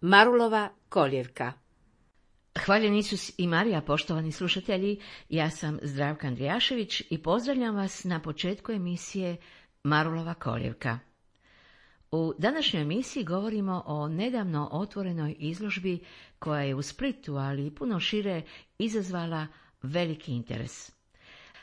Marulova koljevka. Hvaljen Isus i Marija, poštovani slušatelji, ja sam Zdravka Andrijašević i pozdravljam vas na početku emisije Marulova koljevka. U današnjoj emisiji govorimo o nedavno otvorenoj izložbi koja je u Splitu, ali i puno šire, izazvala veliki interes.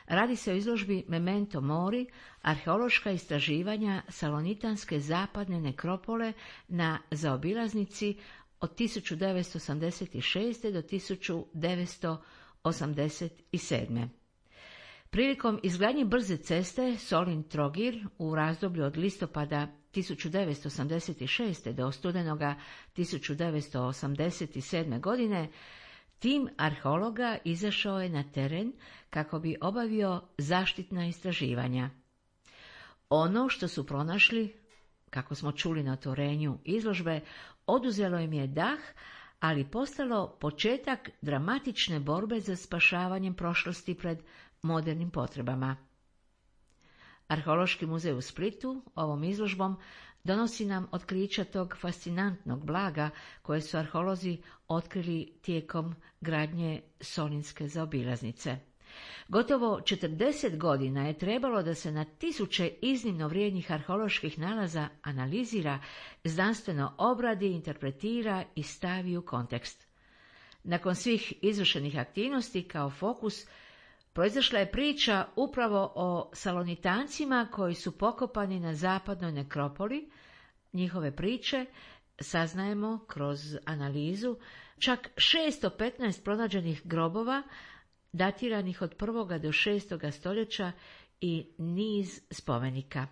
Radi se o izložbi Memento Mori, arheološka istraživanja salonitanske zapadne nekropole na zaobilaznici od 1986. do 1987. Prilikom izgradnje brze ceste Solin-Trogir u razdoblju od listopada 1986. do studenoga 1987. godine, tim arheologa izašao je na teren kako bi obavio zaštitna istraživanja. Ono što su pronašli, kako smo čuli na otvorenju izložbe, oduzelo im je dah, ali postalo početak dramatične borbe za spašavanjem prošlosti pred modernim potrebama. Arheološki muzej u Splitu ovom izložbom donosi nam otkrića tog fascinantnog blaga koje su arheolozi otkrili tijekom gradnje Solinske zaobilaznice. Gotovo 40 godina je trebalo da se na tisuće iznimno vrijednih arheoloških nalaza analizira, znanstveno obradi, interpretira i stavi u kontekst. Nakon svih izvršenih aktivnosti kao fokus proizašla je priča upravo o salonitancima koji su pokopani na zapadnoj nekropoli. Njihove priče saznajemo kroz analizu čak 615 pronađenih grobova datiranih od 1. do 6. stoljeća i niz spomenika.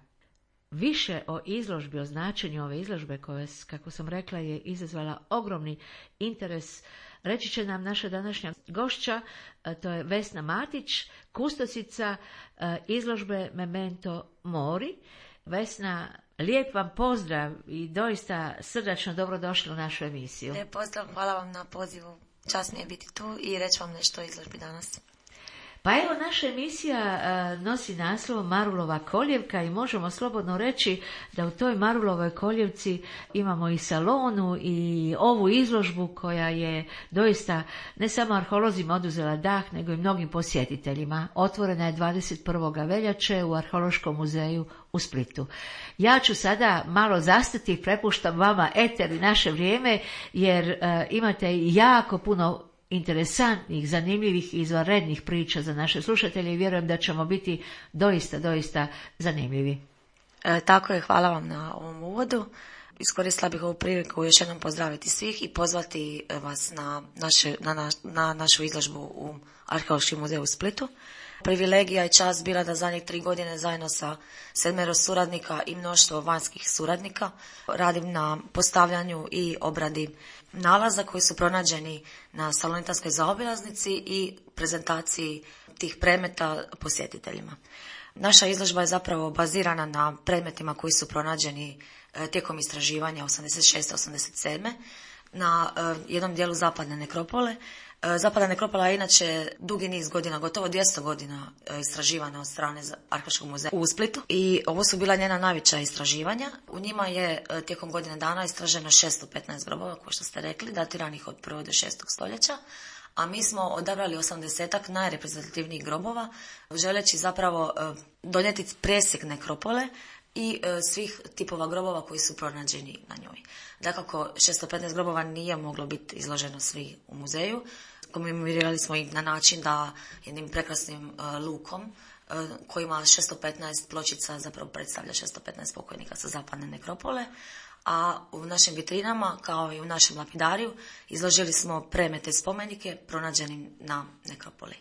Više o izložbi, o značenju ove izložbe koja, kako sam rekla, je izazvala ogromni interes, reći će nam naša današnja gošća, to je Vesna Matić, kustosica izložbe Memento Mori. Vesna, lijep vam pozdrav i doista srdačno dobrodošli u našu emisiju. Lijep pozdrav, hvala vam na pozivu. Čast mi je biti tu i reći vam nešto o izložbi danas. Pa evo, naša emisija nosi naslov Marulova koljevka i možemo slobodno reći da u toj Marulovoj koljevci imamo i salonu i ovu izložbu koja je doista ne samo arheolozima oduzela dah, nego i mnogim posjetiteljima. Otvorena je 21. veljače u Arheološkom muzeju u Splitu. Ja ću sada malo zastati i prepuštam vama eter i naše vrijeme, jer imate jako puno interesantnih, zanimljivih i izvanrednih priča za naše slušatelje i vjerujem da ćemo biti doista zanimljivi. Tako je, hvala vam na ovom uvodu. Iskoristila bih ovu priliku još jednom pozdraviti svih i pozvati vas na našu izložbu u Arheološkom muzeju u Splitu. Privilegija i čast bila da zadnjih 3 godine zajedno sa 7 suradnika i mnoštvo vanjskih suradnika radim na postavljanju i obradi nalaza koji su pronađeni na salonitanskoj zaobilaznici i prezentaciji tih predmeta posjetiteljima. Naša izložba je zapravo bazirana na predmetima koji su pronađeni tijekom istraživanja 86-87 na jednom dijelu zapadne nekropole. Zapadna nekropola je inače dugi niz godina, gotovo 200 godina istraživana od strane Arheološkog muzeja u Splitu i ovo su bila njena najveća istraživanja. U njima je tijekom godine dana istraženo 615 grobova, kao što ste rekli, datiranih od 1. do 6. stoljeća, a mi smo odabrali 80-ak najreprezentativnijih grobova, želeći zapravo donijeti presjek nekropole i svih tipova grobova koji su pronađeni na njoj. Dakako, 615 grobova nije moglo biti izloženo svi u muzeju. Komemorirali smo ih na način da jednim prekrasnim lukom koji ima 615 pločica zapravo predstavlja 615 pokojnika sa zapadne nekropole, a u našim vitrinama kao i u našem lapidariju izložili smo predmete i spomenike pronađenim na nekropoli.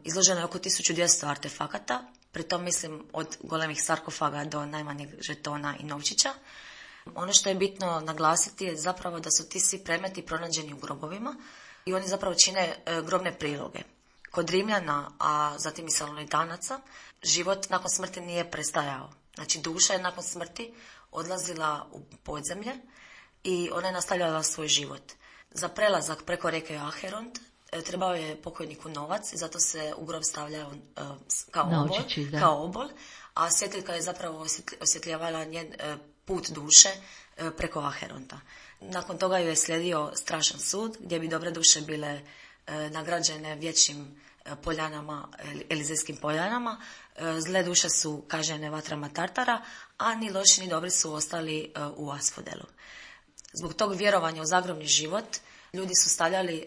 Izloženo je oko 1200 artefakata, pritom mislim od golemih sarkofaga do najmanjeg žetona i novčića. Ono što je bitno naglasiti je zapravo da su ti svi predmeti pronađeni u grobovima i oni zapravo čine grobne priloge. Kod Rimljana, a zatim i salonitanaca, život nakon smrti nije prestajao. Znači duša je nakon smrti odlazila u podzemlje i ona je nastavljala svoj život. Za prelazak preko rijeke Acheront trebao je pokojniku novac i zato se u grob stavljao kao obol, a svjetiljka je zapravo osvjetljavala njen put duše preko Acheronta. Nakon toga ju je slijedio strašan sud gdje bi dobre duše bile nagrađene vječnim poljanama, Elizejskim poljanama. Zle duše su kažnjene vatrama Tartara, a ni loši ni dobri su ostali u Asfodelu. Zbog tog vjerovanja u zagrobni život ljudi su stavljali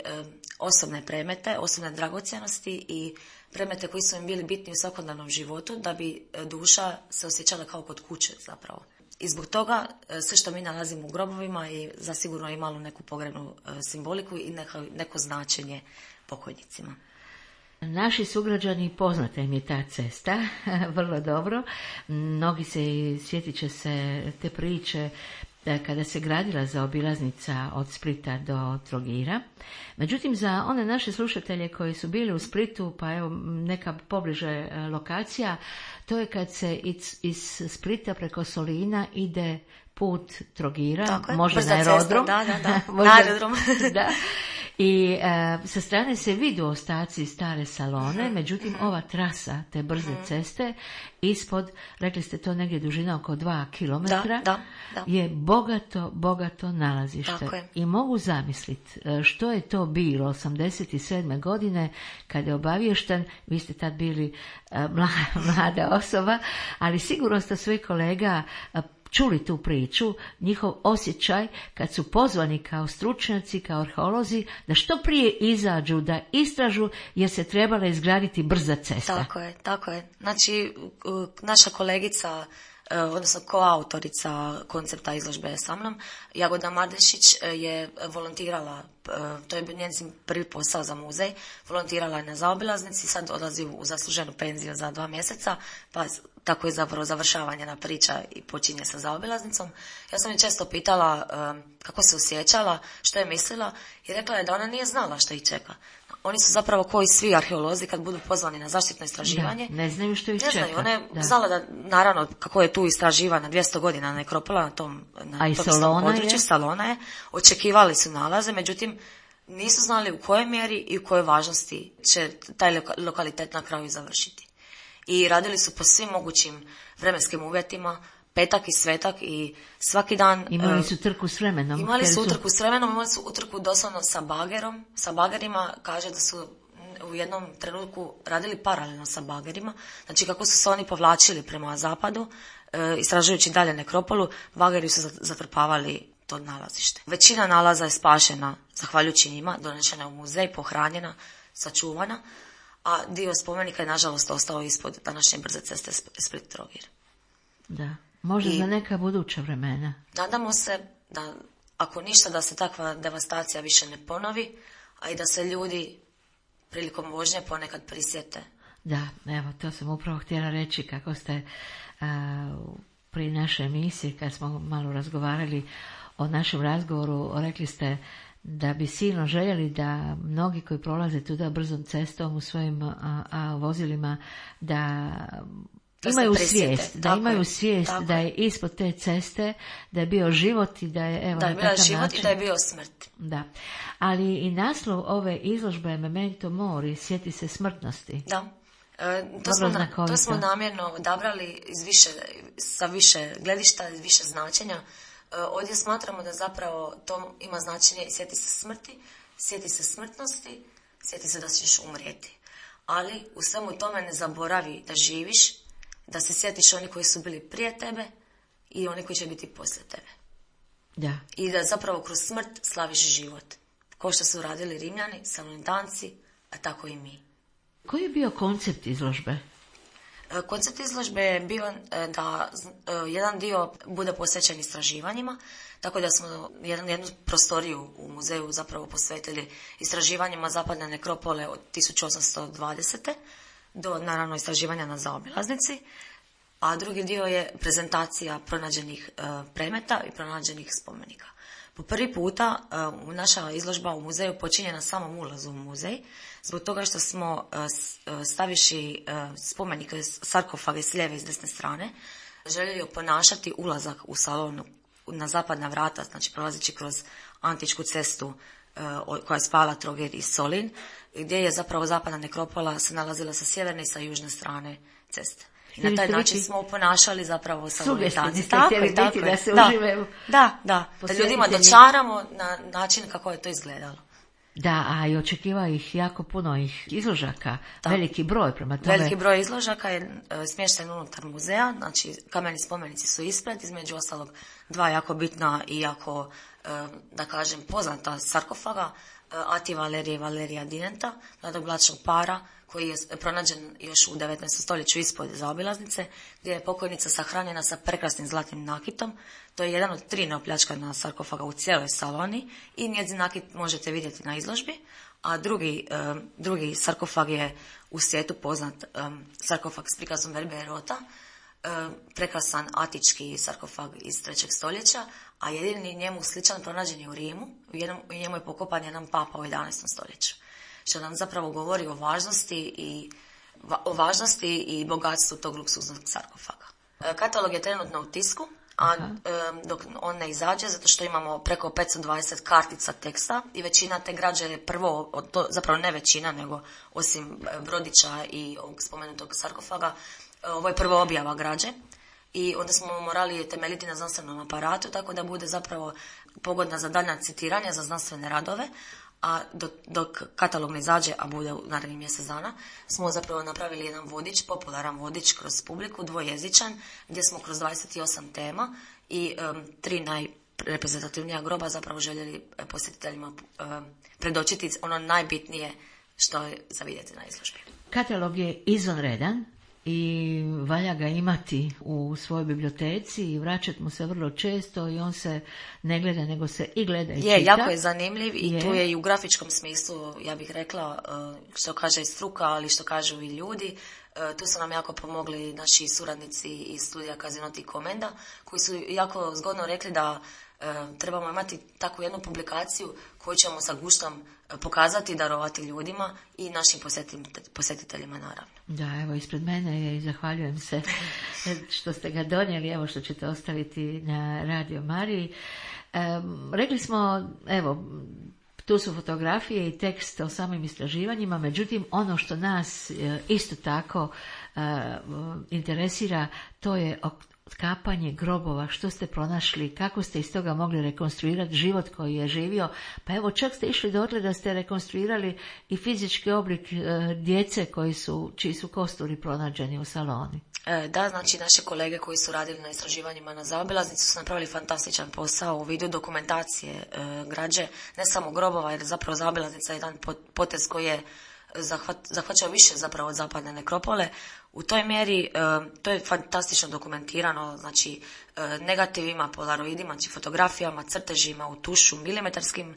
osobne predmete, osobne dragocjenosti i predmete koji su im bili bitni u svakodnevnom životu da bi duša se osjećala kao kod kuće zapravo. I zbog toga sve što mi nalazimo u grobovima i zasigurno imalo neku pogrebnu simboliku i neko značenje pokojnicima. Naši sugrađani, poznata im je ta cesta, vrlo dobro. Mnogi sjetit će se te priče kada se gradila zaobilaznica od Splita do Trogira. Međutim, za one naše slušatelje koji su bili u Splitu, pa evo neka pobliže lokacija, to je kad se iz Splita preko Solina ide put Trogira, možda na aerodrom. Da. Na aerodrom. Da. I sa strane se vidu ostaci stare Salone, međutim ova trasa te brze ceste ispod, rekli ste to negdje dužina oko 2 kilometra, je bogato nalazište. I mogu zamisliti što je to bilo 87. godine kada je obaviješten, vi ste tad bili mlada osoba, ali sigurno ste svoj kolega čuli tu priču, njihov osjećaj kad su pozvani kao stručnjaci, kao arheolozi, da što prije izađu, da istražu jer se trebala izgraditi brza cesta. Tako je. Znači, naša kolegica, odnosno koautorica koncepta izložbe sa mnom, Jagoda Mardešić je volontirala, to je njezin prvi posao za muzej, volontirala je na zaobilaznici, sad odlazi u zasluženu penziju za 2 mjeseca, pa tako je zapravo završava njena priča i počinje sa zaobilaznicom. Ja sam je često pitala kako se osjećala, što je mislila i rekla je da ona nije znala što ih čeka. Oni su zapravo koji svi arheolozi kad budu pozvani na zaštitno istraživanje. Ne znaju što ih čeka. Ne znaju, ona je znala da, naravno, kako je tu istraživana 200 godina nekropola na tom području, Salona je, očekivali su nalaze, međutim, nisu znali u kojoj mjeri i u kojoj važnosti će taj lokalitet na kraju završiti. I radili su po svim mogućim vremenskim uvjetima, petak i svetak i svaki dan. Imali su trku s vremenom. Imali su utrku doslovno sa bagerom. Sa bagerima, kaže da su u jednom trenutku radili paralelno sa bagerima. Znači kako su se oni povlačili prema zapadu, istražujući dalje nekropolu, bageri su zatrpavali to nalazište. Većina nalaza je spašena, zahvaljujući njima, donešena u muzej, pohranjena, sačuvana, a dio spomenika je nažalost ostao ispod današnje brze ceste Split-Trogir. Da, možda za neka buduća vremena. Nadamo se da, ako ništa, da se takva devastacija više ne ponovi, a i da se ljudi prilikom vožnje ponekad prisjete. Da, evo, to sam upravo htjela reći kako ste pri našoj emisiji, kad smo malo razgovarali o našem razgovoru, rekli ste da bi silno željeli da mnogi koji prolaze tuda brzom cestom u svojim vozilima da imaju svijest, da je ispod te ceste, da je bio život i da je evo, da je bio život način. I da je bio smrt. Da. Ali i naslov ove izložbe Memento Mori, sjeti se smrtnosti. Da. To smo namjerno odabrali sa više gledišta, iz više značenja. Ovdje smatramo da zapravo to ima značenje sjeti se smrti, sjeti se smrtnosti, sjeti se da ćeš umrijeti. Ali u svemu tome ne zaboravi da živiš, da se sjetiš oni koji su bili prije tebe i oni koji će biti poslije tebe. Da. I da zapravo kroz smrt slaviš život. Kao što su radili Rimljani, Salonitanci, a tako i mi. Koji je bio koncept izložbe? Koncept izložbe je bio da jedan dio bude posvećen istraživanjima, tako da smo jednu prostoriju u muzeju zapravo posvetili istraživanjima zapadne nekropole od 1820. do naravno istraživanja na zaobilaznici, a drugi dio je prezentacija pronađenih predmeta i pronađenih spomenika. Po prvi puta naša izložba u muzeju počinje na samom ulazu u muzej, zbog toga što smo stavivši spomenike sarkofage s lijeve i s desne strane, željeli oponašati ulazak u salonu na zapadna vrata, znači prolazeći kroz antičku cestu koja je spajala Trogir i Solin, gdje je zapravo zapadna nekropola se nalazila sa sjeverne i sa južne strane ceste. I na taj način smo ponašali zapravo salonitanci. Tako je. Da se uživaju. Da ljudima dočaramo na način kako je to izgledalo. Da, a i očekivao ih jako puno izložaka, veliki broj prema tome. Veliki broj izložaka je smješten unutar muzeja, znači kameni spomenici su ispred, između ostalog 2 jako bitna i jako, da kažem, poznata sarkofaga, Ati Valerije i Valerija Dinenta, mladog bračnog para, koji je pronađen još u 19. stoljeću ispod zaobilaznice, gdje je pokojnica sahranjena sa prekrasnim zlatnim nakitom. To je jedan od 3 neopljačkana sarkofaga u cijeloj Saloni i njezin nakit možete vidjeti na izložbi. A drugi sarkofag je u svijetu poznat sarkofag s prikazom Verbe i Rota, prekrasan atički sarkofag iz 3. stoljeća, a jedini njemu sličan pronađen je u Rimu. U njemu je pokopan jedan papa u 11. stoljeću. Što nam zapravo govori o važnosti i bogatstvu tog luksuznog sarkofaga. Katalog je trenutno u tisku, a dok on ne izađe, zato što imamo preko 520 kartica teksta i većina te građe je zapravo ne većina, nego osim brodića i ovog spomenutog sarkofaga, ovo je prva objava građe i onda smo morali temeljiti na znanstvenom aparatu, tako da bude zapravo pogodna za daljnja citiranja, za znanstvene radove, a dok katalog ne izađe, a bude u narednih mjesec dana, smo zapravo napravili jedan vodič, popularan vodič kroz publiku, dvojezičan, gdje smo kroz 28 tema i 3 najreprezentativnija groba zapravo željeli posjetiteljima predočiti ono najbitnije što je za vidjeti na izložbi. Katalog je izvanredan i valja ga imati u svojoj biblioteci i vraćati mu se vrlo često i on se ne gleda, nego se i gleda i čita. Jako je zanimljiv i tu je i u grafičkom smislu, ja bih rekla, što kaže i struka, ali što kažu i ljudi. Tu su nam jako pomogli naši suradnici iz studija Casinoti i Komenda, koji su jako zgodno rekli da trebamo imati takvu jednu publikaciju koju ćemo sa guštom pokazati i darovati ljudima i našim posjetiteljima naravno. Da, evo ispred mene je i zahvaljujem se što ste ga donijeli, evo što ćete ostaviti na Radio Mariji. Rekli smo, evo, tu su fotografije i tekst o samim istraživanjima, međutim ono što nas isto tako interesira, to je otkapanje grobova, što ste pronašli, kako ste iz toga mogli rekonstruirati život koji je živio. Pa evo, čak ste išli dotle da ste rekonstruirali i fizički oblik djece čiji su kosturi pronađeni u Saloni. Da, znači naše kolege koji su radili na istraživanjima na zaobilaznici su napravili fantastičan posao u vidu dokumentacije građe, ne samo grobova, jer zapravo zaobilaznica je jedan potez koji je zahvaćao više zapravo od zapadne nekropole. U toj mjeri to je fantastično dokumentirano, znači negativima, polaroidima, znači fotografijama, crtežima u tušu, milimetarskim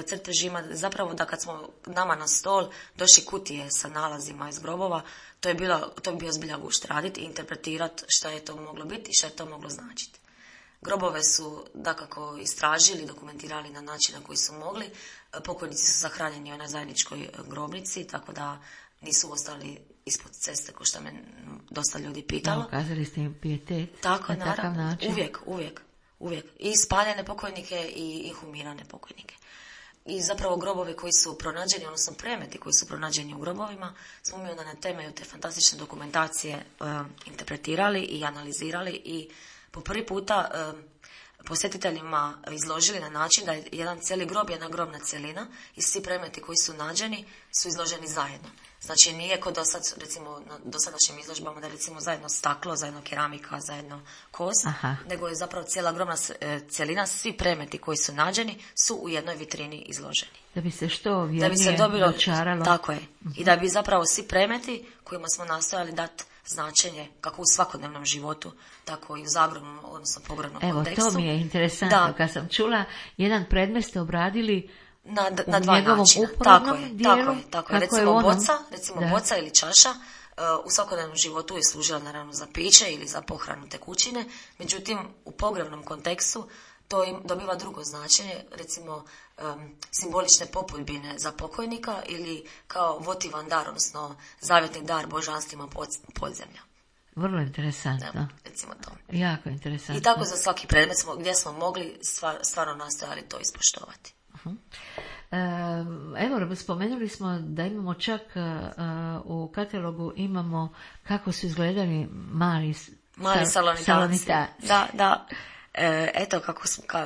crtežima, zapravo da kad smo nama na stol došli kutije sa nalazima iz grobova, to bi bio zbilja gušt raditi i interpretirati šta je to moglo biti i šta je to moglo značiti. Grobove su dakako istražili, dokumentirali na način na koji su mogli. Pokojnici su sahranjeni na zajedničkoj grobnici, tako da nisu ostali ispod ceste, ko što me dosta ljudi pitalo. Ukazali ste im pijetet. Tako, na takav način. Uvijek. I spaljene pokojnike i inhumirane pokojnike. I zapravo grobovi koji su pronađeni, odnosno predmeti koji su pronađeni u grobovima, smo mi onda na temelju te fantastične dokumentacije interpretirali i analizirali i po prvi puta posjetiteljima izložili na način da je jedan cijeli grob, jedna grobna cjelina i svi predmeti koji su nađeni su izloženi zajedno. Znači nije kod recimo na dosadašnjim izložbama da recimo zajedno staklo, zajedno keramika, zajedno kost, nego je zapravo cijela grobna cjelina, svi predmeti koji su nađeni su u jednoj vitrini izloženi. Da bi se što vjernije dočaralo. Tako je. I da bi zapravo svi predmeti kojima smo nastojali dati značenje kako u svakodnevnom životu, tako i u zagrobnom, odnosno pogrebnom kontekstu. Evo, to mi je interesantno. Kad sam čula, jedan predmet ste obradili na dva načina. Tako je. Recimo boca ili čaša u svakodnevnom životu je služila naravno za piće ili za pohranu tekućine, međutim u pogrebnom kontekstu to im dobiva drugo značenje, recimo simbolične popudbine za pokojnika ili kao votivan dar, odnosno zavjetni dar božanstvima podzemlja. Vrlo interesantno. Recimo to. Jako interesantno. I tako za svaki predmet gdje smo mogli stvarno nastojali to ispoštovati. Evo, spomenuli smo da imamo čak u katalogu imamo kako su izgledali mali salonitanci. Da. Eto,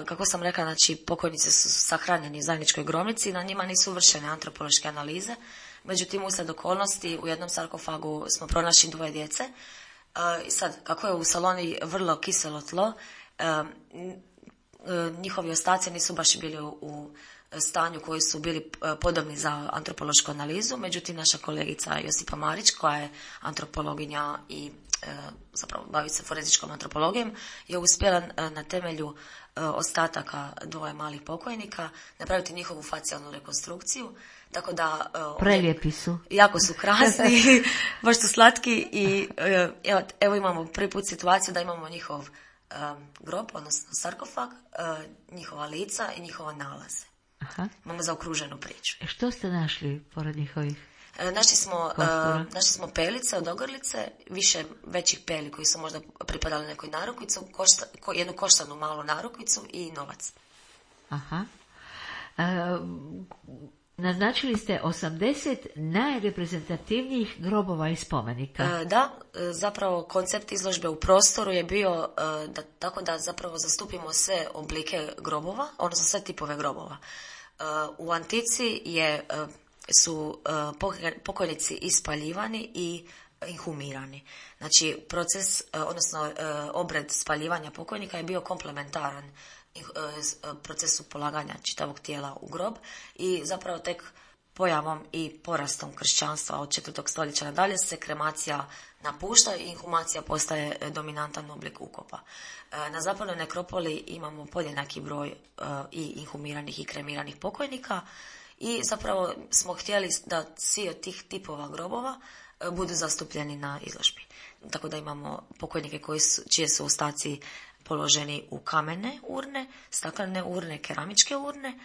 kako sam rekla, znači pokojnici su sahranjeni u zajedničkoj grobnici, na njima nisu vršene antropološke analize. Međutim, uslijed okolnosti u jednom sarkofagu smo pronašli 2 djece. I sad, kako je u Saloni vrlo kiselo tlo, njihovi ostaci nisu baš bili u stanju koji su bili podobni za antropološku analizu. Međutim, naša kolegica Josipa Marić, koja je antropologinja i zapravo bavi se forenzičkom antropologijom, je uspjela na temelju ostataka 2 malih pokojnika napraviti njihovu facijalnu rekonstrukciju. Tako da prelijepi su. Jako su krasni, baš su slatki i evo imamo prvi put situaciju da imamo njihov grob, odnosno sarkofag, njihova lica i njihova nalaze. Aha. Imamo zaokruženu priču. Što ste našli pored njihovih? Našli smo pelice od ogrlice, više većih peli koji su možda pripadali nekoj narukvicu, jednu koštanu malu narukvicu i novac. Aha. Naznačili ste 80 najreprezentativnijih grobova i spomenika. Da, zapravo koncept izložbe u prostoru je bio tako da zapravo zastupimo sve oblike grobova, odnosno sve tipove grobova. U antici su pokojnici ispaljivani i inhumirani. Znači, proces, odnosno obred spaljivanja pokojnika je bio komplementaran procesu polaganja čitavog tijela u grob i zapravo tek pojavom i porastom kršćanstva od 4. stoljeća nadalje se kremacija napušta i inhumacija postaje dominantan oblik ukopa. Na zapadnoj nekropoli imamo podjednaki broj i inhumiranih i kremiranih pokojnika i zapravo smo htjeli da svi od tih tipova grobova budu zastupljeni na izložbi. Tako da imamo pokojnike čije su ostaci položeni u kamene urne, staklene urne, keramičke urne,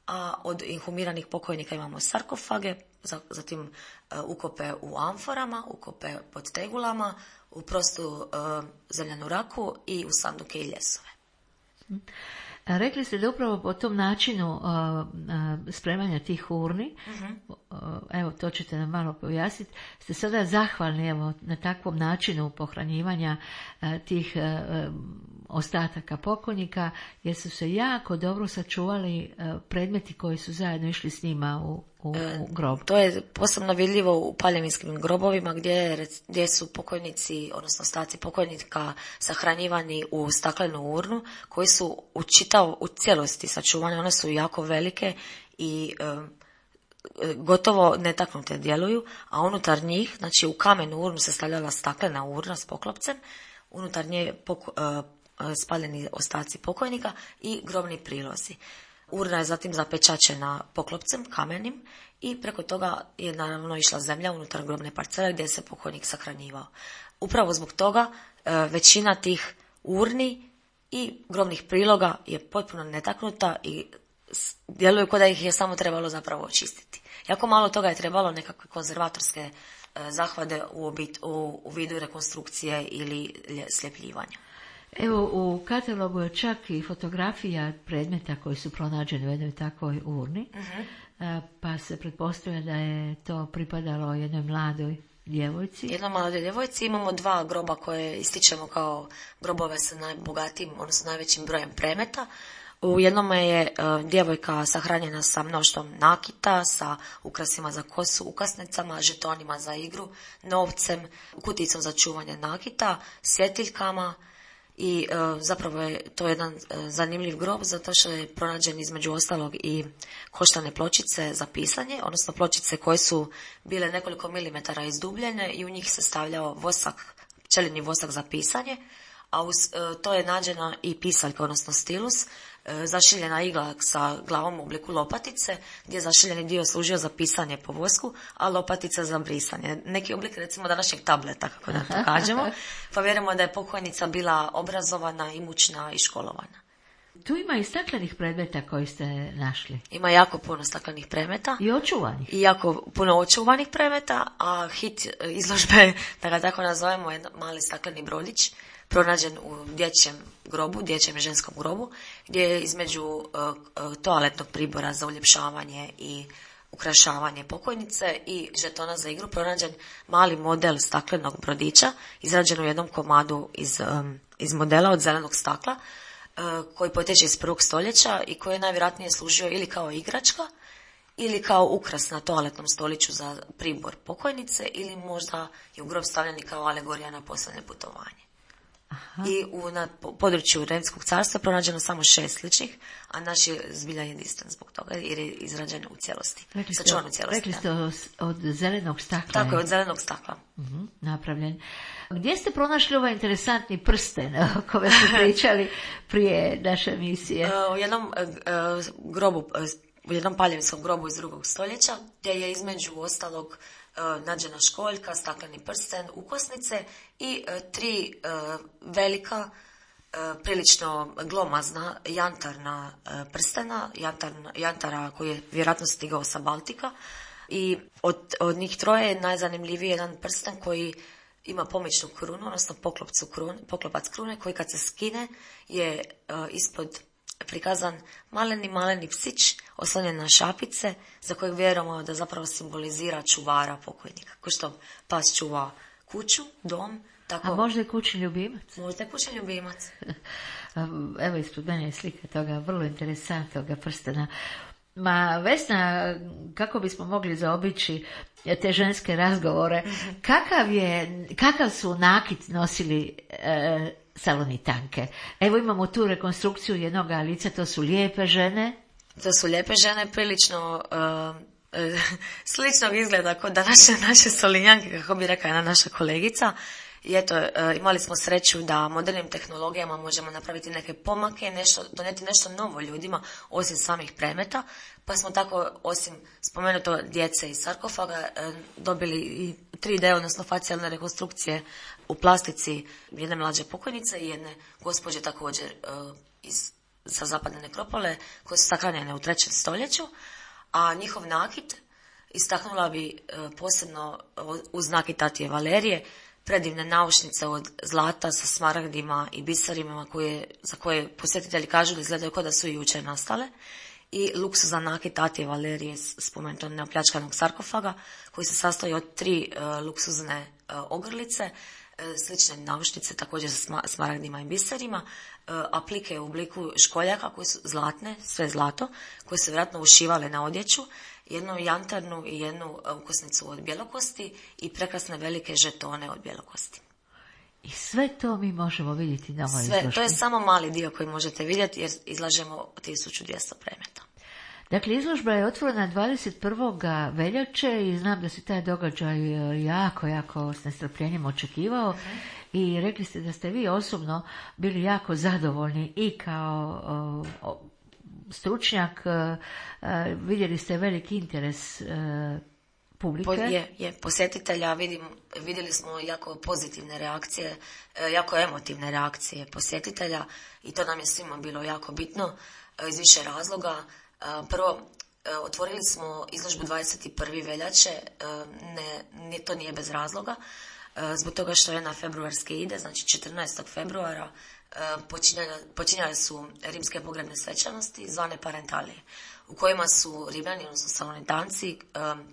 a od inhumiranih pokojnika imamo sarkofage, zatim ukope u amforama, ukope pod tegulama, u prostu zemljanu raku i u sanduke i ljesove. Rekli ste da upravo po tom načinu spremanja tih urni, evo to ćete nam malo pojasniti, ste sada zahvalni evo, na takvom načinu pohranjivanja tih ostataka pokojnika, jer su se jako dobro sačuvali predmeti koji su zajedno išli s njima u grob. To je posebno vidljivo u paljevinskim grobovima gdje su pokojnici, odnosno ostaci pokojnika sahranjivani u staklenu urnu koji su u cijelosti sačuvane. One su jako velike i gotovo netaknute djeluju, a unutar njih, znači u kamenu urnu se stavljala staklena urna s poklopcem, unutar nje spaljeni ostaci pokojnika i grobni prilozi. Urna je zatim zapečačena poklopcem kamenim i preko toga je naravno išla zemlja unutar grobne parcele gdje se pokojnik sahranjivao. Upravo zbog toga većina tih urni i grobnih priloga je potpuno netaknuta i djeluju kao da ih je samo trebalo zapravo očistiti. Jako malo toga je trebalo nekakve konzervatorske zahvate u vidu rekonstrukcije ili sljepljivanja. Evo, u katalogu je čak i fotografija predmeta koji su pronađeni u jednoj takvoj urni, pa se pretpostavlja da je to pripadalo jednoj mladoj djevojci. Jednoj mladoj djevojci. Imamo 2 groba koje ističemo kao grobove sa najbogatijim, odnosno najvećim brojem predmeta. U jednom je djevojka sahranjena sa mnoštvom nakita, sa ukrasima za kosu, ukasnicama, žetonima za igru, novcem, kuticom za čuvanje nakita, svjetiljkama i zapravo je to jedan zanimljiv grob zato što je pronađen između ostalog i koštane pločice za pisanje, odnosno pločice koje su bile nekoliko milimetara izdubljene i u njih se stavljao vosak, pčelinji vosak za pisanje, a uz to je nađena i pisaljka, odnosno stilus, zašiljena igla sa glavom u obliku lopatice, gdje je zašiljeni dio služio za pisanje po vosku, a lopatica za brisanje. Neki oblik, recimo, današnjeg tableta, kako da to kažemo, pa vjerujemo da je pokojnica bila obrazovana, imućna i školovana. Tu ima i staklenih predmeta koji ste našli. Ima jako puno staklenih predmeta. I očuvanih. I jako puno očuvanih predmeta, a hit izložbe, da ga tako nazovemo, je mali stakleni brodić, pronađen u dječjem ženskom grobu, gdje je između toaletnog pribora za uljepšavanje i ukrašavanje pokojnice i žetona za igru pronađen mali model staklenog brodića, izrađen u jednom komadu iz modela od zelenog stakla, koji potječe iz 1. stoljeća i koji je najvjerojatnije služio ili kao igračka, ili kao ukras na toaletnom stoliću za pribor pokojnice, ili možda je u grob stavljen i kao alegorija na posljednje putovanje. Aha. I na području Rimskog carstva pronađeno samo 6 sličnih, a naš je zbilja jedinstven zbog toga jer je izrađen u cijelosti. Rekli ste od zelenog stakla. Tako je, od zelenog stakla. Napravljen. Gdje ste pronašli ovaj interesantni prsten o kome smo pričali prije naše emisije? U jednom grobu, u jednom paljevinskom grobu iz 2. stoljeća, gdje je između ostalog nađena školjka, stakleni prsten, ukosnice i 3 velika, prilično glomazna jantarna prstena, jantara koji je vjerojatno stigao sa Baltika. I od njih 3 je najzanimljiviji jedan prsten koji ima pomičnu krunu, odnosno poklopac krune, koji kad se skine je ispod prikazan maleni psić oslonjen na šapice, za kojeg vjerujemo da zapravo simbolizira čuvara pokojnika. Ko što pas čuva kuću, dom, tako... A možda je kućni ljubimac? Možda je kućni ljubimac. Evo ispod mene je slika toga vrlo interesantnog prstena. Ma Vesna, kako bismo mogli zaobići te ženske razgovore, kakav su nakit nosili Salonitanke? Evo imamo tu rekonstrukciju jednog lica, to su lijepe žene. To su lijepe žene, prilično sličnog izgleda kod naše Solinjanke, kako bi rekla jedna naša kolegica. I eto, imali smo sreću da modernim tehnologijama možemo napraviti neke pomake, donijeti nešto novo ljudima, osim samih predmeta, pa smo tako, osim spomenuto djece iz sarkofaga, dobili i 3D, odnosno facijalne rekonstrukcije u plastici jedne mlađe pokojnice i jedne gospođe također sa zapadne nekropole, koje su sahranjene u 3. stoljeću, a njihov nakit istaknula bi posebno uz nakit Tatije Valerije, predivne naušnice od zlata sa smaragdima i biserima za koje posjetitelji kažu da izgledaju kao da su i jučer nastale, i luksuzan nakit Tatije Valerije, spomenuto neopljačkanog sarkofaga, koji se sastoji od 3 luksuzne ogrlice, slične naušnice također sa smaragdima i biserima, aplike u obliku školjaka koje su zlatne, sve zlato, koje su vjerojatno ušivale na odjeću, jednu jantarnu i jednu ukosnicu od bjelokosti i prekrasne velike žetone od bjelokosti. I sve to mi možemo vidjeti na ovoj izložbi. To je samo mali dio koji možete vidjeti jer izlažemo 1200 predmeta. Dakle, izložba je otvorena 21. veljače i znam da se taj događaj jako s nestrpljenjem očekivao. I rekli ste da ste vi osobno bili jako zadovoljni i kao stručnjak, vidjeli ste veliki interes publike. Posjetitelja, vidjeli smo jako pozitivne reakcije, jako emotivne reakcije posjetitelja i to nam je svima bilo jako bitno iz više razloga. Prvo, otvorili smo izložbu 21. veljače, to nije bez razloga, zbog toga što je na februarske ide, znači 14. februara počinjale su rimske pogrebne svečanosti zvane parentalije, u kojima su Rimljani, odnosno Salonitanci,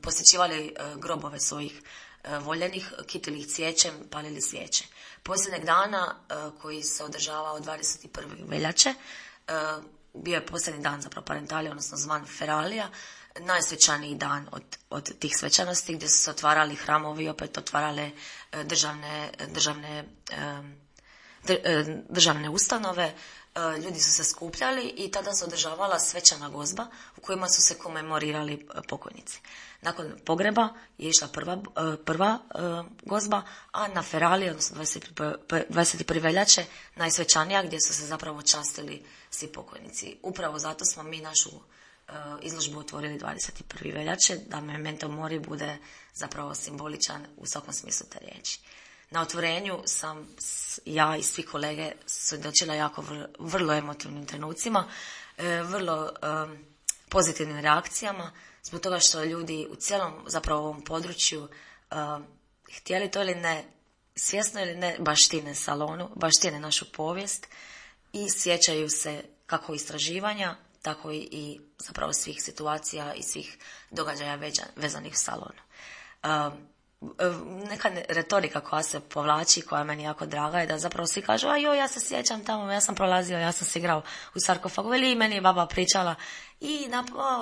posjećivali grobove svojih voljenih, kitili ih cvijećem, palili svijeće. Posljednjeg dana koji se održavao 21. veljače, bio je posljednji dan zapravo parentalije, odnosno zvan Feralija, najsvečaniji dan od tih svečanosti, gdje su se otvarali hramovi, opet otvarale državne ustanove, ljudi su se skupljali i tada se održavala svečana gozba u kojima su se komemorirali pokojnici. Nakon pogreba je išla prva gozba, a na Feraliji, odnosno 21. veljače, najsvečanija, gdje su se zapravo častili svi pokojnici. Upravo zato smo mi našu izložbu otvorili 21. veljače, da memento mori bude zapravo simboličan u svakom smislu te riječi. Na otvorenju sam ja i svi kolege svjedočila jako vrlo emotivnim trenucima, vrlo pozitivnim reakcijama, zbog toga što ljudi u cijelom zapravo ovom području, htjeli to ili ne, svjesno ili ne baštine Salonu, baštine našu povijest i sjećaju se kako istraživanja, tako i zapravo svih situacija i svih događaja vezanih u Salonu. Neka retorika koja se povlači, koja je meni jako draga, je da zapravo svi kažu, ja se sjećam tamo, ja sam prolazio, ja sam se igrao u sarkofagu, ili meni je baba pričala i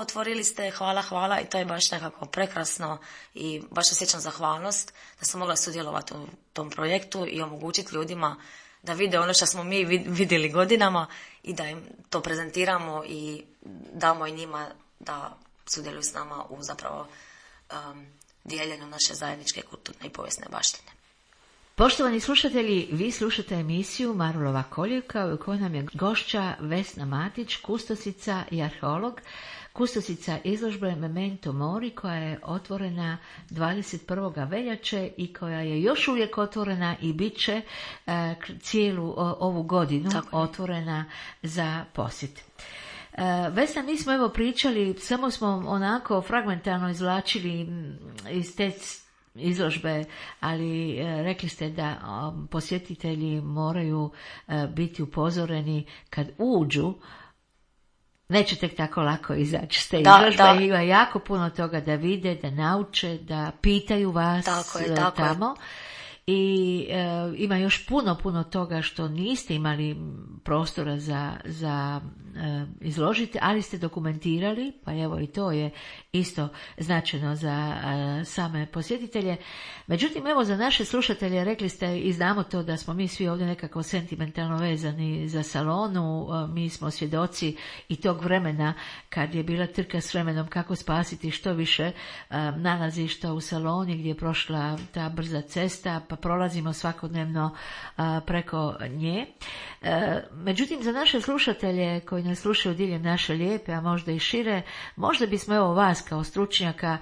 otvorili ste, hvala, i to je baš nekako prekrasno i baš osjećam zahvalnost da sam mogla sudjelovati u tom projektu i omogućiti ljudima da vide ono što smo mi vidjeli godinama i da im to prezentiramo i damo i njima da sudjeluju s nama u zapravo dijeljenju naše zajedničke kulturne i povijesne baštine. Poštovani slušatelji, vi slušate emisiju Marulova koljevka u kojoj nam je gošća Vesna Matić, kustosica i arheolog, kustosica izložbe Memento Mori koja je otvorena 21. veljače i koja je još uvijek otvorena i bit će cijelu ovu godinu otvorena za posjet. Vesna, mi smo evo pričali, samo smo onako fragmentarno izvlačili iz te izložbe, ali rekli ste da posjetitelji moraju biti upozoreni kad uđu, neće tek tako lako izaći s te izložbe, ima jako puno toga da vide, da nauče, da pitaju vas tamo. I ima još puno toga što niste imali prostora za izložiti, ali ste dokumentirali, pa evo i to je isto značajno za same posjetitelje. Međutim, evo za naše slušatelje rekli ste i znamo to da smo mi svi ovdje nekako sentimentalno vezani za Salonu, mi smo svjedoci i tog vremena kad je bila trka s vremenom kako spasiti što više nalazišta u Saloni gdje je prošla ta brza cesta, pa prolazimo svakodnevno preko nje. Međutim, za naše slušatelje koji nas slušaju diljem naše lijepe, a možda i šire, možda bismo evo vas kao stručnjaka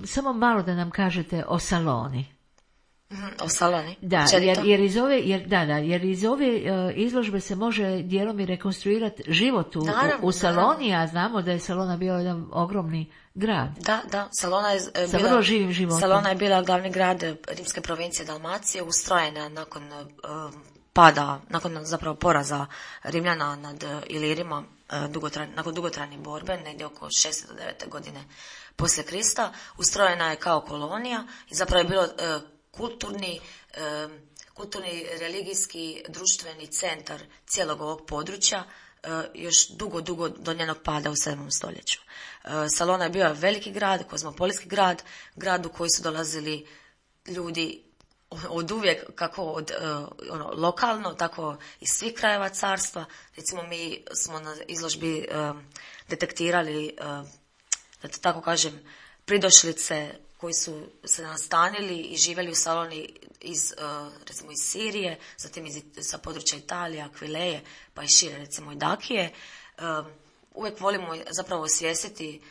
samo malo da nam kažete o Saloni. O Saloni? Da, jer iz ove izložbe se može dijelom i rekonstruirati život u Saloni, a znamo da je Salona bio jedan ogromni grad. Da, Salona je sa vrlo živim životom. Salona je bila glavni grad rimske provincije Dalmacije, ustrojena nakon zapravo poraza Rimljana nad Ilirima, nakon dugotrajne borbe, negdje oko 6. do 9. godine poslije Krista. Ustrojena je kao kolonija i zapravo je bilo kulturni, religijski, društveni centar cijelog ovog područja, još dugo do njenog pada u 7. stoljeću. Salona je bio veliki grad, kozmopolitski grad u koji su dolazili ljudi od uvijek, kako od lokalno, tako iz svih krajeva carstva. Recimo, mi smo na izložbi detektirali, da tako kažem, pridošlice koji su se nastanili i živjeli u Saloni recimo iz Sirije, zatim sa područja Italije, Akvileje, pa i šire, recimo i Dakije. Uvijek volimo zapravo osvijestiti,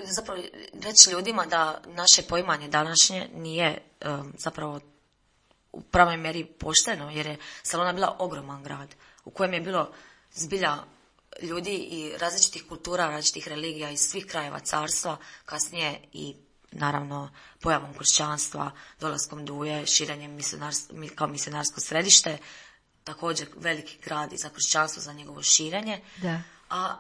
zapravo reći ljudima da naše poimanje današnje nije zapravo u pravoj mjeri pošteno, jer je Salona bila ogroman grad u kojem je bilo zbilja ljudi i različitih kultura, različitih religija iz svih krajeva carstva, kasnije i naravno pojavom kršćanstva, dolaskom Duje, širenjem kao misionarsko središte, također veliki grad i za kršćanstvo, za njegovo širenje. Da. A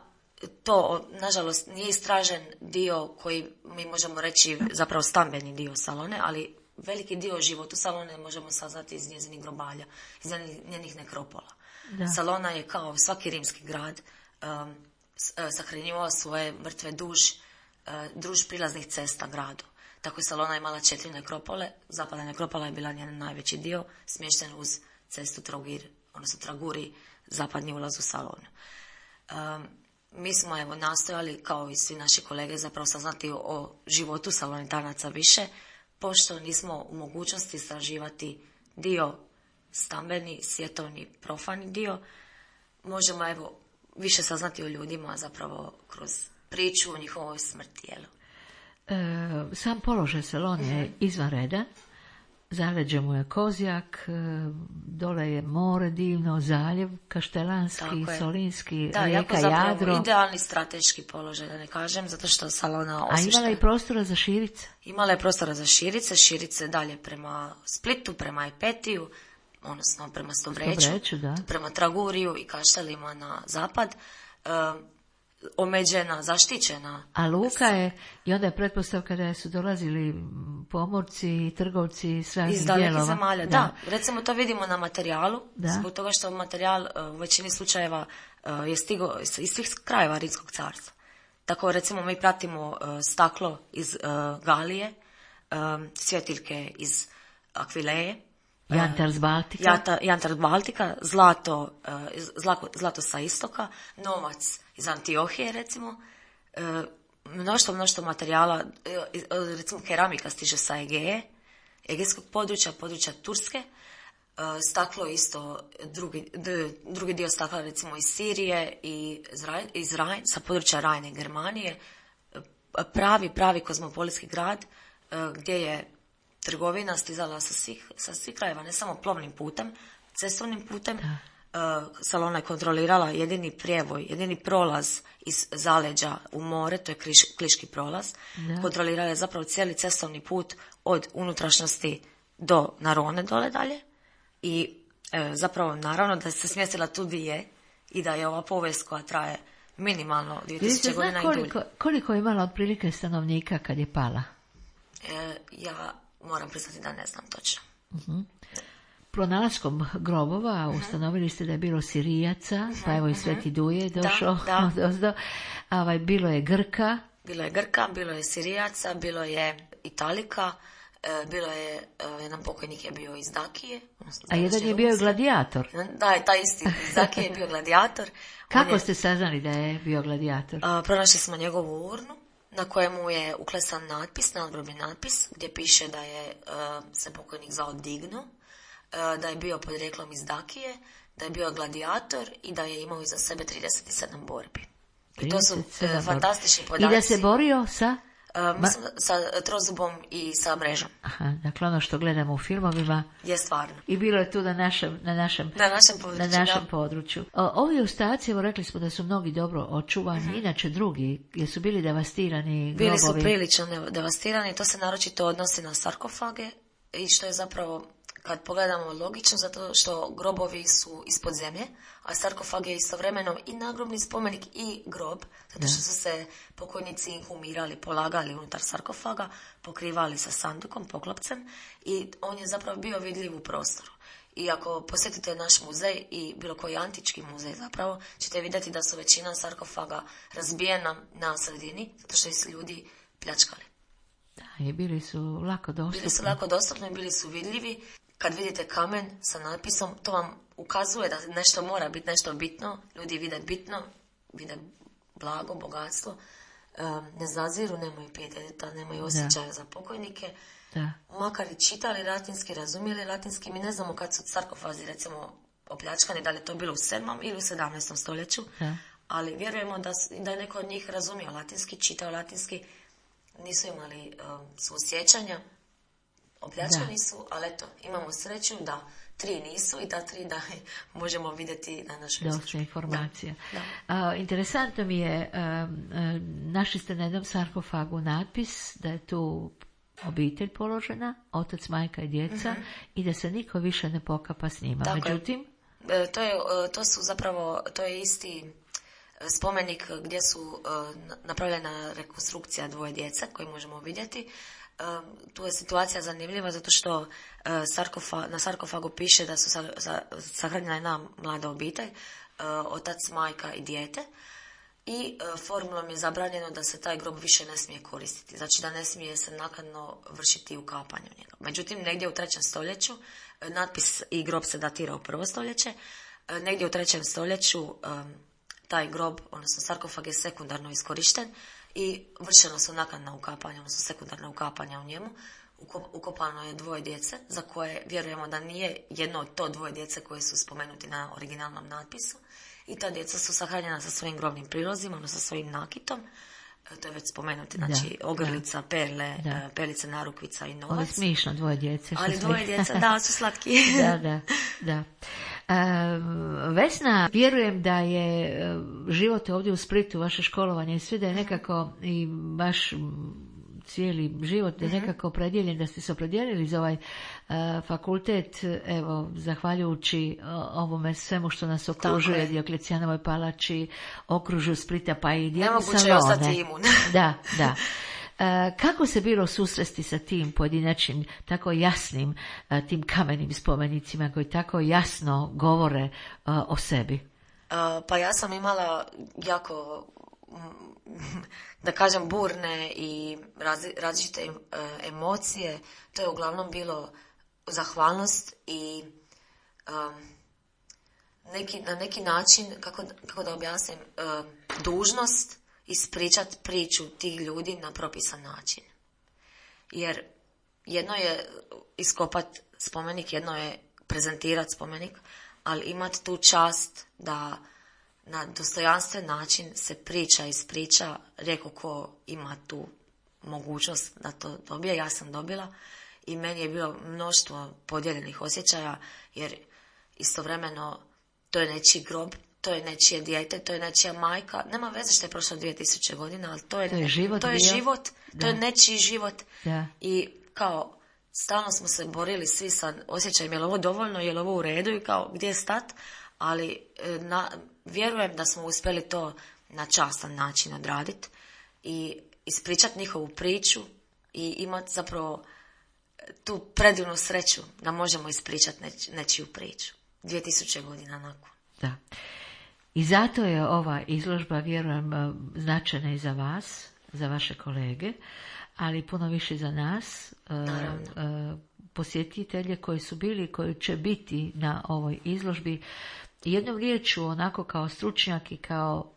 to, nažalost, nije istražen dio koji mi možemo reći zapravo stambeni dio Salone, ali veliki dio života Salone možemo saznati iz njezinih grobalja, iz njenih nekropola. Da. Salona je kao svaki rimski grad sahranjivao svoje mrtve duž prilaznih cesta gradu. Tako je Salona imala 4 nekropole, zapadna nekropola je bila njen najveći dio, smješten uz cestu Traguri, zapadni ulaz u Salonu. Mi smo nastojali, kao i svi naši kolege, zapravo saznati o životu Salonitanaca više, pošto nismo u mogućnosti istraživati dio stambeni, svjetovni, profani dio. Možemo više saznati o ljudima zapravo kroz priču o njihovoj smrti. Sam položaj Salone je izvanredan. Zaleđe mu je Kozjak, dole je more divno, zaljev Kaštelanski, Solinski, rijeka Jadro. Idealni strateški položaj, da ne kažem, zato što Salona osvišta. A imala je prostora za širice? Imala je prostora za širice dalje prema Splitu, prema Epetiju, odnosno prema Stobreću, prema Traguriju i Kaštelima na zapad. Omeđena, zaštićena. A luka je, i onda je pretpostavka da su dolazili pomorci i trgovci s raznih dijelova. Iz dalekih zemalja, da. Recimo to vidimo na materijalu, zbog toga što materijal u većini slučajeva je stigao iz svih krajeva Rimskog carstva. Tako recimo mi pratimo staklo iz Galije, svjetiljke iz Akvileje, jantar s Baltika, zlato sa istoka, novac iz Antiohije recimo, mnoštvo materijala, recimo keramika stiže sa Egejskog područja Turske, staklo isto, drugi dio stakla recimo iz Sirije i sa područja Rajne Germanije, pravi kozmopolitski grad gdje je trgovina stizala sa svih krajeva, ne samo plovnim putem, cestovnim putem. Salona je kontrolirala jedini prijevoj, jedini prolaz iz zaleđa u more, to je Kliški prolaz. Kontrolirala je zapravo cijeli cestovni put od unutrašnjosti do Narone dole dalje. I zapravo naravno da se smjestila tu di je i da je ova povijest koja traje minimalno 2000 godina i dulje. Koliko je imala otprilike stanovnika kad je pala? Ja moram priznati da ne znam točno. Pronalaskom grobova ustanovili ste da je bilo Sirijaca, pa evo i Sveti Duje došao odozdo. Bilo je Grka. Bilo je Sirijaca, bilo je Italika, bilo je, jedan pokojnik je bio iz Dakije. A jedan je bio gladijator. Da, taj isti iz Dakije je bio gladijator. Kako ste saznali da je bio gladijator? Pronašli smo njegovu urnu, na kojemu je uklesan natpis, nadgrobni natpis, gdje piše da je se pokojnik zvao Digno, da je bio podrijetlom iz Dakije, da je bio gladijator i da je imao iza sebe 37 borbi. I to su fantastični podaci. I da se borio sa? Mislim, sa trozubom i sa mrežom. Aha, dakle ono što gledamo u filmovima. Je stvarno. I bilo je tu na našem području. Ovi ostaci, evo rekli smo da su mnogi dobro očuvani, inače drugi, jesu bili devastirani grobovi? Bili su prilično devastirani, to se naročito odnosi na sarkofage i što je zapravo, kad pogledamo, logično, zato što grobovi su ispod zemlje, a sarkofag je istovremeno i nagrobni spomenik i grob, zato što su se pokojnici inhumirali, polagali unutar sarkofaga, pokrivali sa sandukom, poklopcem, i on je zapravo bio vidljiv u prostoru. I ako posjetite naš muzej i bilo koji antički muzej zapravo, ćete vidjeti da su većina sarkofaga razbijena na sredini, zato što su ljudi pljačkali. Da, i bili su lako dostupni. Bili su lako dostupni, bili su vidljivi. Kad vidite kamen sa natpisom, to vam ukazuje da nešto mora biti nešto bitno. Ljudi vide bitno, vide blago, bogatstvo, ne zaziru, nemaju pijeteta, nemaju osjećaja za pokojnike. Da. Makar i čitali latinski, razumjeli latinski, mi ne znamo kad su sarkofazi recimo opljačkani, da li je to bilo u 7. ili u 17. stoljeću, ali vjerujemo da je neko od njih razumio latinski, čitao latinski, nisu imali suosjećanja. Opljačkani su, ali eto, imamo sreću da 3 nisu i da 3 da možemo vidjeti na našoj izložbi. Dosta informacija. Interesantno mi je, našli ste na jednom sarkofagu natpis da je tu obitelj položena, otac, majka i djeca, i da se niko više ne pokapa s njima. Dakle, međutim, to je isti spomenik gdje su napravljena rekonstrukcija 2 djece koje možemo vidjeti. Tu je situacija zanimljiva zato što na sarkofagu piše da su sahranjena jedna mlada obitelj, otac, majka i dijete, i formulom je zabranjeno da se taj grob više ne smije koristiti, znači da ne smije se naknadno vršiti ukapanje u njega. Međutim, negdje u 3. stoljeću, natpis i grob se datira u 1. stoljeće, negdje u 3. stoljeću taj grob, odnosno sarkofag, je sekundarno iskorišten i vršeno su naknadna ukapanja, odnosno sekundarna ukapanja u njemu. Ukopano je 2 djece, za koje vjerujemo da nije jedno od to 2 djece koje su spomenuti na originalnom natpisu. I ta djeca su sahranjena sa svojim grobnim prilozima, odnosno sa svojim nakitom. to je već spomenuti, znači ogrlica, perle, perlice, narukvica i novac. Ovo je smišno, dvoje djece. Ali dvoje djeca, da, su slatki. Da. Vesna, vjerujem da je život ovdje u Splitu, vaše školovanje i sve da je nekako i vaš cijeli život je nekako opredjeljen, da ste se opredijelili za ovaj fakultet, evo, zahvaljujući ovome svemu što nas okružuje, Dioklecijanovoj palači, okružju Splita, pa i dijelu Salone. Nemoguće je ostati imun. Da. Kako se bilo susresti sa tim pojedinačnim, tako jasnim, tim kamenim spomenicima koji tako jasno govore o sebi? Pa ja sam imala jako, da kažem, burne i različite emocije. To je uglavnom bilo zahvalnost i na neki način, kako da objasnim, dužnost ispričati priču tih ljudi na propisan način. Jer jedno je iskopati spomenik, jedno je prezentirati spomenik, ali imati tu čast da na dostojanstven način se ispriča, reko ko ima tu mogućnost da to dobije. Ja sam dobila i meni je bilo mnoštvo podijeljenih osjećaja, jer istovremeno to je nečiji grob, to je nečije dijete, to je nečija majka. Nema veze što je prošlo 2000 godina, ali to je život, to je nečiji život. Da. I kao stalno smo se borili svi sa osjećajem, je li ovo dovoljno, je li ovo u redu i kao gdje je stat, ali vjerujem da smo uspjeli to na častan način odraditi i ispričati njihovu priču i imati zapravo tu predivnu sreću da možemo ispričati nečiju priču 2000 godina nakon. Da. I zato je ova izložba, vjerujem, značajna i za vas, za vaše kolege, ali puno više za nas, posjetitelje koji su bili, koji će biti na ovoj izložbi. Jednom riječu, onako kao stručnjak i kao,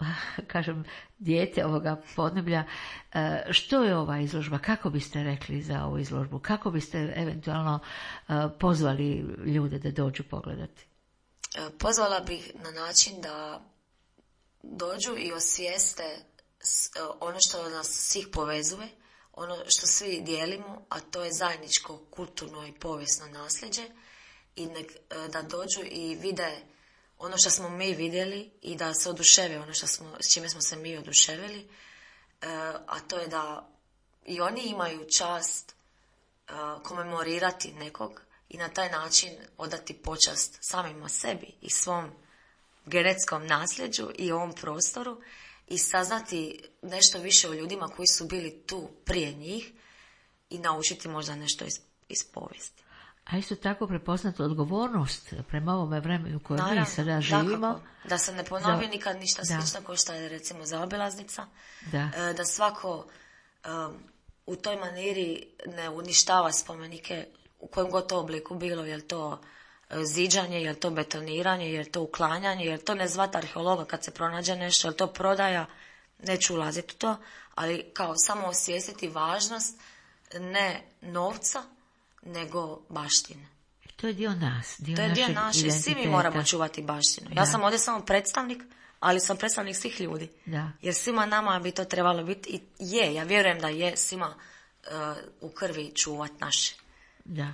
kažem, dijete ovoga podneblja, što je ova izložba? Kako biste rekli za ovu izložbu? Kako biste eventualno pozvali ljude da dođu pogledati? Pozvala bih na način da dođu i osvijeste ono što nas svih povezuje, ono što svi dijelimo, a to je zajedničko kulturno i povijesno nasljeđe, i da dođu i vide ono što smo mi vidjeli i da se oduševe ono s čime smo se mi oduševili, a to je da i oni imaju čast komemorirati nekog i na taj način odati počast samima sebi i svom genetskom nasljeđu i ovom prostoru i saznati nešto više o ljudima koji su bili tu prije njih i naučiti možda nešto iz povijesti. A isto tako prepoznati odgovornost prema ovome vremenu koje mi sada živimo. Dakako, da se ne ponovi nikad ništa slično kao što je recimo zaobilaznica. Da svako u toj maniri ne uništava spomenike u kojem god to obliku bilo, je li to ziđanje, je li to betoniranje, je li to uklanjanje, je li to ne zvati arheologa kad se pronađe nešto, je li to prodaja, neću ulaziti u to, ali kao samo osvijestiti važnost ne novca, nego baštine. To je dio nas, to je dio naše, svi mi moramo čuvati baštinu. Ja sam ovdje samo predstavnik, ali sam predstavnik svih ljudi. Da. Jer svima nama bi to trebalo biti i ja vjerujem da je svima u krvi čuvati naše. Da.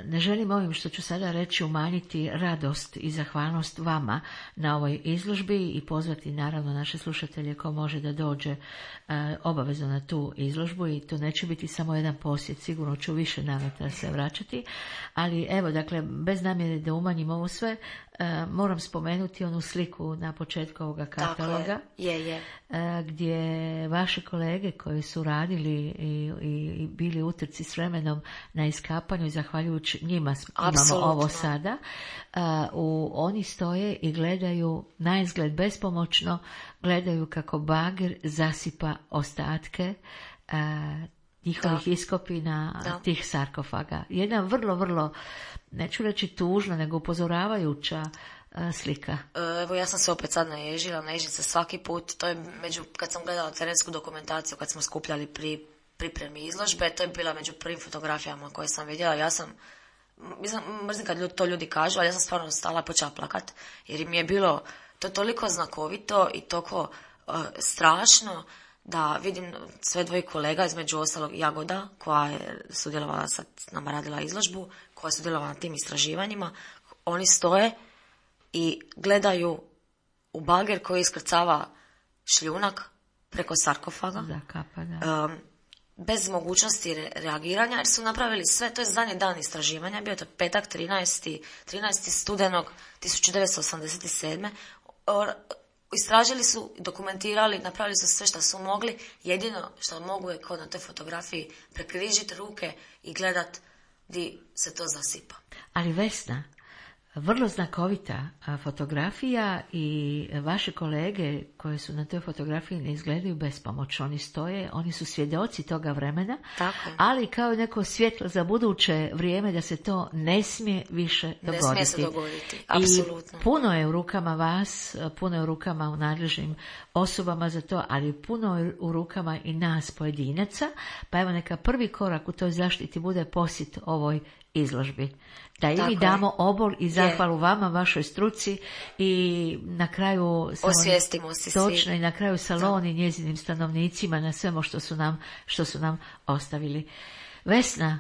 Ne želim ovim što ću sada reći umanjiti radost i zahvalnost vama na ovoj izložbi i pozvati naravno naše slušatelje ko može da dođe obavezno na tu izložbu i to neće biti samo jedan posjet, sigurno ću više navrata se vraćati, ali evo, dakle, bez namjere da umanjim ovo sve, moram spomenuti onu sliku na početku ovoga kataloga. Je. Gdje vaše kolege koji su radili i bili utrci s vremenom na iskapanju i zahvaljujući njima imamo ovo sada, oni stoje i gledaju na izgled bespomoćno, gledaju kako bager zasipa ostatke njihovih iskopina, tih sarkofaga. Jedna vrlo, vrlo, neću reći tužna, nego upozoravajuća slika. Evo, ja sam se opet sad naježila se svaki put. To je kad sam gledala terensku dokumentaciju, kad smo skupljali pripremi izložbe, to je bila među prvim fotografijama koje sam vidjela. Ja sam, mrzim kad to ljudi kažu, ali ja sam stvarno stala i počela plakat, jer mi je bilo to toliko znakovito i toliko strašno da vidim sve dvoje kolega, između ostalog Jagoda, koja je sudjelovala, sad nama radila izložbu, koja je sudjelovala na tim istraživanjima. Oni stoje i gledaju u bager koji iskrcava šljunak preko sarkofaga. Zakapa, da. Bez mogućnosti reagiranja, jer su napravili sve, to je zadnji dan istraživanja, bio je to petak 13. studenog 1987. Istražili su, dokumentirali, napravili su sve što su mogli, jedino što mogu je kao na toj fotografiji prekrižiti ruke i gledat di se to zasipa. Ali Vesna, vrlo znakovita fotografija i vaše kolege koje su na toj fotografiji ne izgledaju bespomoćno. Oni stoje, oni su svjedoci toga vremena, ali kao neko svjetlo za buduće vrijeme da se to ne smije više dogoditi. Ne smije se dogoditi, apsolutno. I puno je u rukama vas, puno je u rukama u nadležnim osobama za to, ali puno je u rukama i nas pojedinaca, pa evo neka prvi korak u toj zaštiti bude posjet ovoj izložbi. Da i mi damo obol i zahvalu vama, vašoj struci i na kraju osvijestimo se točno i na kraju saloni njezinim stanovnicima na svemu što su nam ostavili. Vesna,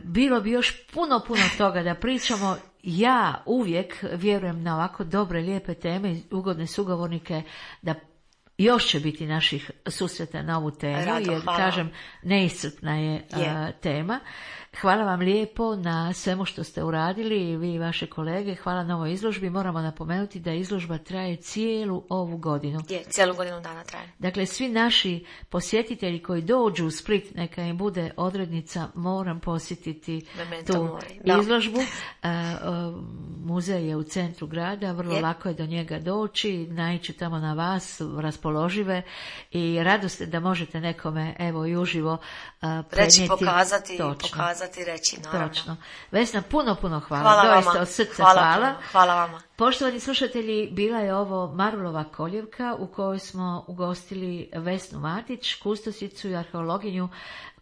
bilo bi još puno toga da pričamo. Ja uvijek vjerujem na ovako dobre, lijepe teme i ugodne sugovornike da još će biti naših susreta na ovu temu, jer kažem, neiscrpna je tema. Hvala vam lijepo na svemu što ste uradili, vi i vaše kolege. Hvala na ovoj izložbi. Moramo napomenuti da izložba traje cijelu ovu godinu. Cijelu godinu dana traje. Dakle, svi naši posjetitelji koji dođu u Split, neka im bude odrednica, moram posjetiti tu izložbu. Muzej je u centru grada, vrlo lako je do njega doći, naići tamo na vas, raspoložive i radost da možete nekome evo i uživo reći, pokazati, reći, naravno. Točno. Vesna, puno hvala. Doista vama. Od srca Hvala vama. Poštovani slušatelji, bila je ovo Marvelova koljevka u kojoj smo ugostili Vesnu Matić, kustosicu i arheologinju,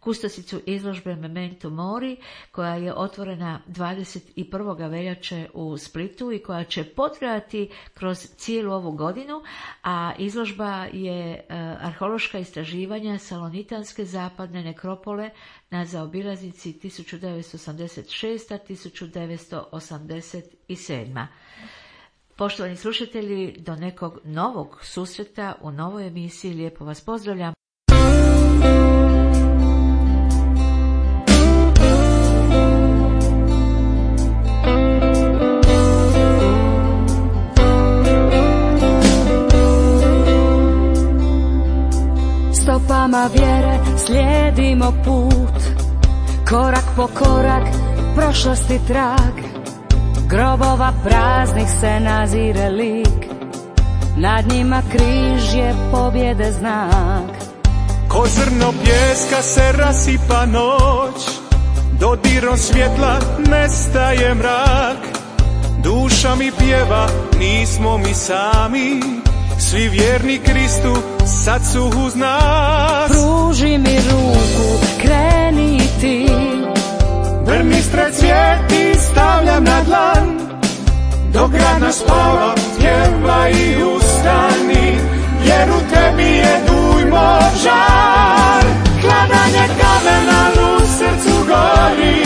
kustosicu izložbe Memento Mori, koja je otvorena 21. veljače u Splitu i koja će potrajati kroz cijelu ovu godinu, a izložba je arheološka istraživanja salonitanske zapadne nekropole na zaobilaznici 1986-1987. Poštovani slušatelji, do nekog novog susreta u novoj emisiji. Lijepo vas pozdravljam. Stopama vjere slijedimo put, korak po korak prošlosti trag, grobova praznih se nazire lik, nad njima križ je pobjede znak. Ko zrno pjeska se rasipa noć, dodirom svjetla nestaje mrak, duša mi pjeva, nismo mi sami, svi vjerni Kristu sad su uz nas. Pruži mi ruku, kreni ti, Brnistre cvijeti stavljam na dlan, dok radna spava, pjeva i ustani, jer u tebi je dujmo žar. Hladanje kamena u srcu gori,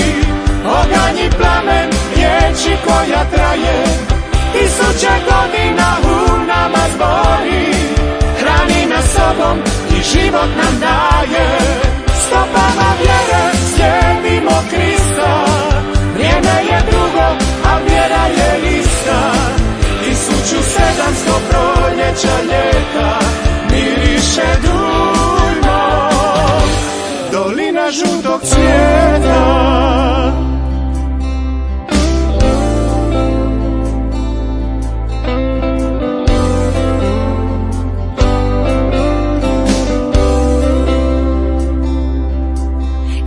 oganj i plamen riječi koja traje, 1000 godina u nama zbori, hrani nas sobom i život nam daje. Stopama vjere slijedimo Krista, vrijeme je drugo, a vjera je ista. 1700 proljeća ljeta miriše dujmo, dolina žutog cvijeta.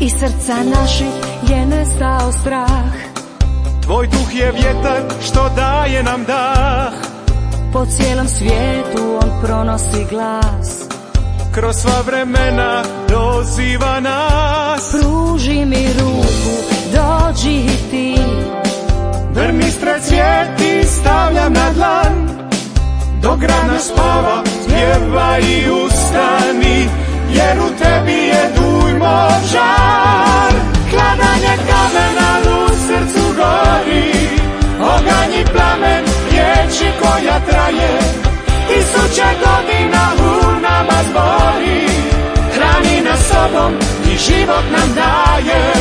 iz srca naših je nestao strah, tvoj duh je vjetar što daje nam dah, po cijelom svijetu on pronosi glas, kroz sva vremena doziva nas. Pruži mi ruku, dođi i ti, Brnistre cvijeti stavljam na dlan, dok rana spava, pjeva i ustani, jer u tebi je dujmo žar. Hladanje kamena u srcu gori, oganj i plamen riječi koja traje, 1000 godina u nama zbori, hrani nas sobom i život nam daje.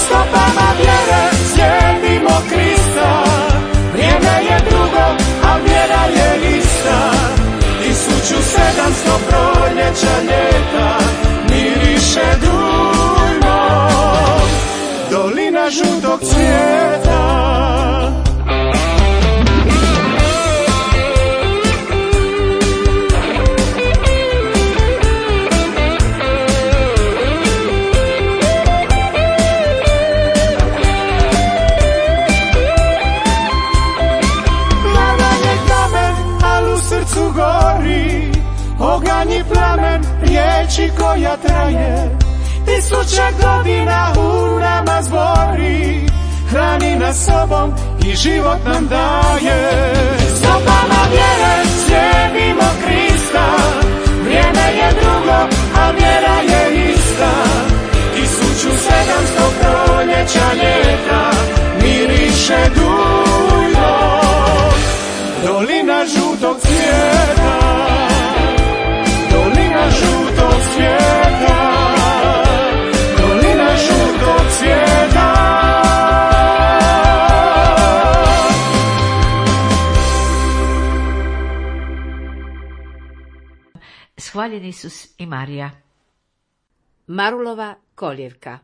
Stopama vjere slijedimo Krista, vrijeme je drugo, a vjera je ista. 1700 proljeća ljeta miriše dujmo, dolina žutog cvijeta. Oganj i plamen riječi koja traje, 1000 godina u nama zbori, hrani nas sobom i život nam daje. Stopama vjere slijedimo Krista, vrijeme je drugo, a vjera je ista. 1700 proljeća ljeta miriše dujmo, dolina žutog cvijeta. Dolina žutog cvijeta, dolina žutog cvijeta. Shvaljen Isus i Marija. Marulova kolijevka.